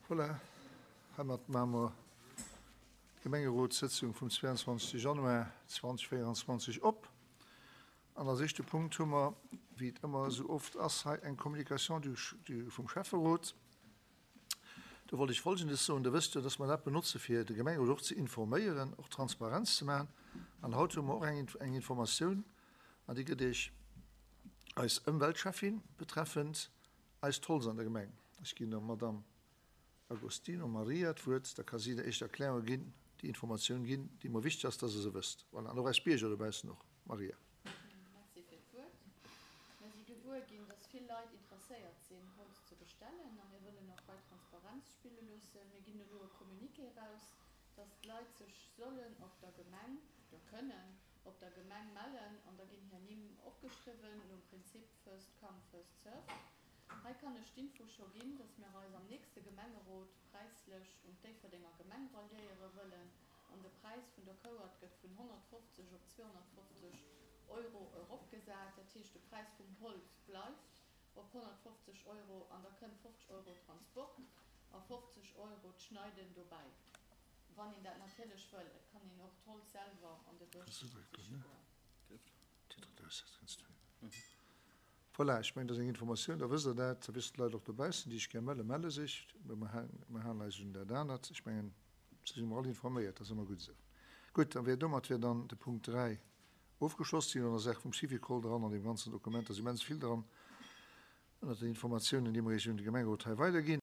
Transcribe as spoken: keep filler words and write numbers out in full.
Voilà, heimat maache mer d'Gemengerotssëtzung vum zweiundzwanzegste Januar zweitausendvéierundzwanzeg op. An als éischte Punkt hu mer, wéi et ëmmer esou oft ass, hei eng Communication du, du, vum Schäfferot. Do wollt ech Folgendes soen, Der wësst jo, dass mer dat benotze fir de Gemengerot och ze informéieren, och Transparenz ze maachen. An haut hu mer och eng, eng Informatioun, an déi gëtt Iech eis Ëmweltschäffin betreffend eist Holz an der Gemeng. Ech ginn der Madame Agostino Maria d'Wuert, da ka si der éischt Erklärunge ginn, déi Informatioun ginn, déi mer wichteg ass, dass Der se wësst. Voilà, an och eis Bierger dobaussen och. Maria. Merci fir d'Wuert. Mir si gewuer ginn, dass vill Leit interesséiert sinn, Holz ze bestellen, a mir wëllen och hei Transparenz spille loossen. Mir ginn elo e Communiqué eraus, dass d'Leit sech sollen op der Gemeng, oder kënnen op der Gemeng mellen, an da ginn hir Nimm opgeschriwwen nom Prinzip first come, first served. Hei kann ech d'Info scho ginn, dass mir eis am nächste Gemengerot präislech un d'Déifferdenger Gemeng ralliéiere wëllen an de Präis vun der Kouert gëtt vun honnertfofzeg op zweehonnertfofzeg Euro eropgesat. Dat heescht, de Präis vum Holz bleift op honnertfofzeg Euro an da kënnt fofzeg Euro Transport a fofzeg Euro d'Schneiden dobäi, wann een dat natierlech wëll. Et kann een och d'Holz selwer an de Bësch siche goen. Voilà, ech mengen, dat ass eng Informatioun, da wësst Der dat, da wëssen d'Leit och dobaussen, déi sech gär melle, melle sech. Mä mer halen eis un dat anert. Ech mengen, se si mer all informéiert, dat ass ëmmer gutt esou. Gutt, da wär domat wär dann de Punkt dräi ofgeschloss. Si hunn an der Saach vum Syvicol dran, an deem ganzen Dokument ass immens vill dran, ënnert den Informatiounen, déi mer Iech un de Gemengerot hei weiderginn.